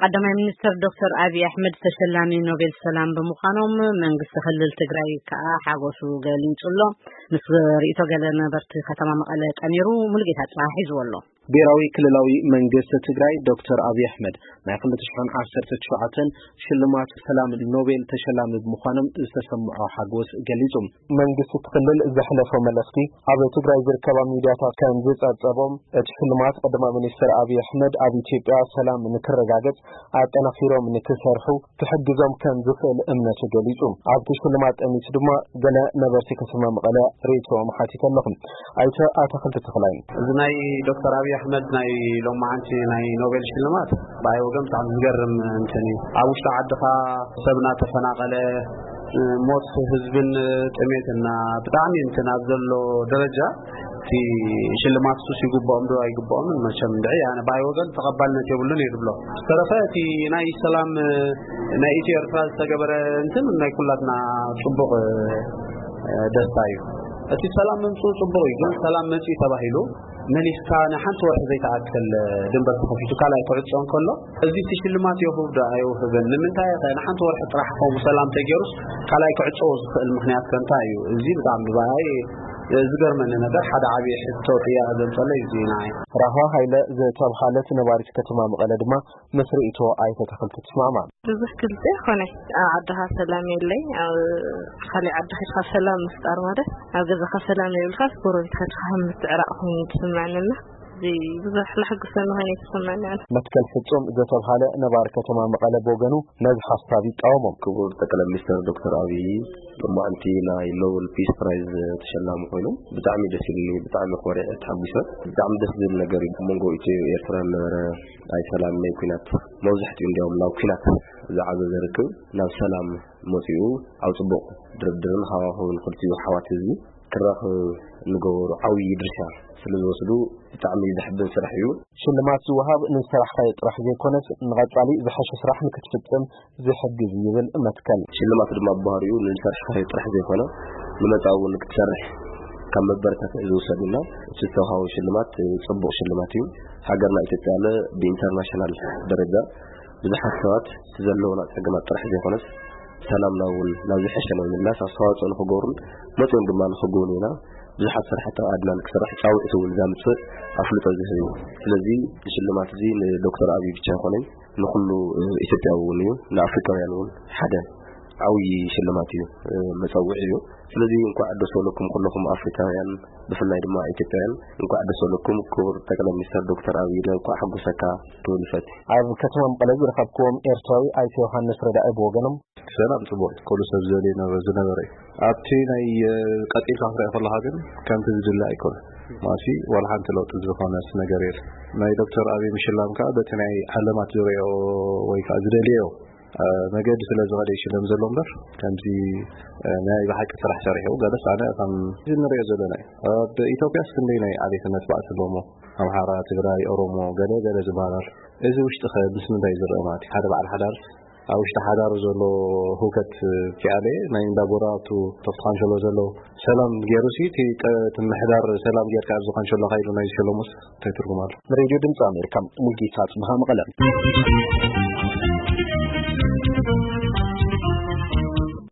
ቀዳማይ ሚኒስትር ዶክተር ኣብይ ኣሕመድ ተሸላሚ ኖቤል ሰላም ብምዃኖም፣ መንግስቲ ክልል ትግራይ ከኣ ሓጎሱ ገሊጹ ኣሎ። ምስ ርእይቶ ገለ ነበርቲ ከተማ መቐለ ጠሚሩ ሙሉጌታ ጽባሕ ሒዝዎ ኣሎ። ብሔራዊ ክልላዊ መንግስቲ ትግራይ ዶክተር ኣብይ ኣሕመድ ናይ ክልተ ሽሕን ዓሰርተ ትሽዓተን ሽልማት ሰላም ኖቤል ተሸላሚ ብምዃኖም ዝተሰምዖ ሓጎስ ገሊጹ። መንግስቲ እቲ ክልል ዘሕለፎ መልእኽቲ ኣብ ትግራይ ዝርከባ ሚድያታት ከም ዝጸብጸቦም፣ እቲ ሽልማት ቀዳማይ ሚኒስትር ኣብይ ኣሕመድ ኣብ ኢትዮጵያ ሰላም ንክረጋገጽ ኣጠናኺሮም ንክሰርሑ ክሕግዞም ከም ዝኽእል እምነቱ ገሊጹ። ኣብቲ ሽልማት ጠሚቱ ድማ ገለ ነበርቲ ከተማ መቐለ ርእይቶኦም ሓቲተ ኣለኹ። ኣይተ ኣታኽልቲ ተኽላይ። እዚ ናይ ዶክተር ኣብይ ኣሕመድ ናይ ሎማዓንቲ ናይ ኖቤል ሽልማት ብኣይ ወገን ብጣዕሚ ዝገርም እንትን እዩ። ኣብ ውሽጢ ዓድኻ ሰብ እናተፈናቐለ፣ ሞት ህዝብን ጥሜትና ብጣዕሚ እንትን ኣብ ዘሎ ደረጃ፣ እቲ ሽልማት ሱስ ይግብኦም ዶ ኣይግብኦምን፣ መቸም እንድዒ ኣነ ብኣይ ወገን ተቐባልነት የብሉን እየ ዝብሎ። ዝተረፈ እቲ ናይ ሰላም ናይ ኢትዮ ኤርትራ ዝተገበረ እንትን ናይ ኩላትና ጽቡቕ ደስታ እዩ። እቲ ሰላም ምምፅኡ ጽቡቕ እዩ፣ ግን ሰላም መፅኡ ተባሂሉ መሊስካ ንሓንቲ ወርሒ ዘይተኣክል ድንበር ተኸፊቱ ካልኣይ ክዕጾ እንከሎ፣ እዚ እቲ ሽልማት የውህብ ዶ ኣይውህብን? ንምንታይ ኸ ንሓንቲ ወርሒ ጥራሕ ከምኡ ሰላም ተገይሩስ ካልኣይ ክዕጾ ዝኽእል ምኽንያት ከ እንታይ እዩ? እዚ ብጣዕሚ ብኣይ ዝገርመኒ ነገር፣ ሓደ ዓብዪ ሕቶ ጥያቄ ዘምጸለይ እዚ እዩ ንዓይ። ራህዋ ሃይለ ዝተብሃለት ነባሪት ከተማ መቐለ ድማ ምስ ርእይቶ ኣይተ ኣታኽልቲ ትስማዕማዕ። ብዙሕ ግልጺ ኣይኮነይ። ኣብ ዓድኻ ሰላም የለይ፣ ኣብ ካሊእ ዓዲ ከድካ ሰላም ምፍጣር ማለት ኣብ ገዛኻ ሰላም የብልካስ ጎረቤት ከድካ ከም ምትዕራቕ ኮይኑ ዝስምዐኒ ኣሎ። እዚ ብዙሕ ለሕጉሰኒ ኮይኑ ኣይተሰምዐኒ ኣነ። መትከል ፍጹም ዝተብሃለ ነባሪ ከተማ መቐለ ብወገኑ ነዚ ሓሳብ ይቃወሞ። ክቡር ጠቅላይ ሚኒስትር ዶክተር ኣብይ ሎማዓንቲ ናይ ኖበል ፒስ ፕራይዝ ተሸላሚ ኮይኖም ብጣዕሚ ደስ ኢሉኒ፣ ብጣዕሚ ኮሪዐ ተሓጒሰ። ብጣዕሚ ደስ ዝብል ነገር እዩ። ኣብ መንጎ ኢትዮ ኤርትራ ዝነበረ ናይ ሰላም ናይ ኩናት፣ መብዛሕትኡ እንዲያውም ናብ ኩናት ዝዓዘዘ ርክብ ናብ ሰላም መጺኡ፣ ኣብ ጽቡቕ ድርድርን ሃዋህውን ክልቲኡ ኣሕዋት ህዝቢ ክራኸብ እንገበሩ ዓብዪ ድርሻ ስለ ዝወስዱ ብጣዕሚ ዘሕብን ስራሕ እዩ። ሽልማት ዝወሃብ ንዝሰራሕካዮ ጥራሕ ዘይኮነስ ንቐጻሊ ዝሐሸ ስራሕ ንክትፍጽም ዝሕግዝ እዩ ይብል መትከል። ሽልማት ድማ ብባህሪኡ ንዝሰርሕካዮ ጥራሕ ዘይኮነ ንመጻኢ እውን ክትሰርሕ ካብ መበረታትዒ ዝውሰድ እና እቲ ዝተውሃቦ ሽልማት ጽቡቕ ሽልማት እዩ። ሃገርና ኢትዮጵያ ለ ብኢንተርናሽናል ደረጃ ብዙሓት ሰባት እቲ ዘለውና ጸገማት ጥራሕ ዘይኮነስ ሰላምና እውን ናብ ዝሐሸ ንምምላስ ኣስተዋፅኦ ንክገብሩን መፅኦም ድማ ንክጎብኑና ብዙሓት ስራሕቲ ኣድና ንክስራሕ ፃውዒት እውን ዘምፅእ ኣፍልጦ ዝህብ እዩ። ስለዚ ሽልማት እዚ ንዶክተር ኣብይ ብቻ ኣይኮነን፣ ንኩሉ ኢትዮጵያዊ እውን እዩ፣ ንኣፍሪካውያን እውን ሓደ ዓብዪ ሽልማት እዩ፣ መፀውዒ እዩ። ስለዚ እንኳዕ ደስ በለኩም ኩለኹም ኣፍሪካውያን፣ ብፍላይ ድማ ኢትዮጵያውያን እንኳዕ ደስ በለኩም። ክቡር ጠቅላይ ሚኒስትር ዶክተር ኣብይ እንኳዕ ሓጎሰካ ክብል ይፈቱ። ኣብ ከተማ መቐለ ዝረኸብክዎም ኤርትራዊ ኣይተ ዮሃንስ ረዳኢ ብወገኖም፣ ሰላም ጽቡቕ እዩ። ኩሉ ሰብ ዝደልዮ ነበረ፣ ዝነበረ እዩ። ኣብቲ ናይ፣ እ፣ ቀጺልካ ክትሪኦ ከለኻ ግን ከምቲ ዝድለ ኣይኮነን። ማሲ ዋላ ሓንቲ ለውጢ ዝኾነስ ነገር የለን። ናይ ዶክተር ኣብይ ምሽላም ከኣ በቲ ናይ ዓለማት ዝሪኦ ወይ ከኣ ዝደልዮ፣ እ፣ መገዲ ስለ ዝኸደ ይሽለም ዘሎ እምበር ከምዚ፣ እ፣ ናይ ብሓቂ ስራሕ ሰሪሑ ገለስ ኣነ ከም እዚ ንሪኦ ዘለና እዩ። ኣብ ኢትዮጵያስ ክንደይ ናይ ዓሌትነት ባእሲ ኣሎ እሞ ኣምሓራ፣ ትግራይ፣ ኦሮሞ ገለ ገለ ዝበሃል ኣሎ። እዚ ውሽጢ ከ ምስ ምንታይ ዝረአ ማለት እዩ? ሓደ በዓል ሓዳር ኣብ ውሽጢ ሓዳሩ ዘሎ ህውከት ኪኣለ ናይ እንዳ ጎረባብቱ ተፍቲ ካንሸሎ ዘሎ ሰላም ገይሩ ሲ እቲ ቀ-፣ እቲ ምሕዳር ሰላም ጌርካ ኣብዚ ካንሸሎ ካይዱ ናይ ዝሸለሙስ እንታይ ትርጉም ኣሎ? ንሬድዮ ድምፂ ኣሜሪካ ሙልጌታ ጽብሃ መቐለ።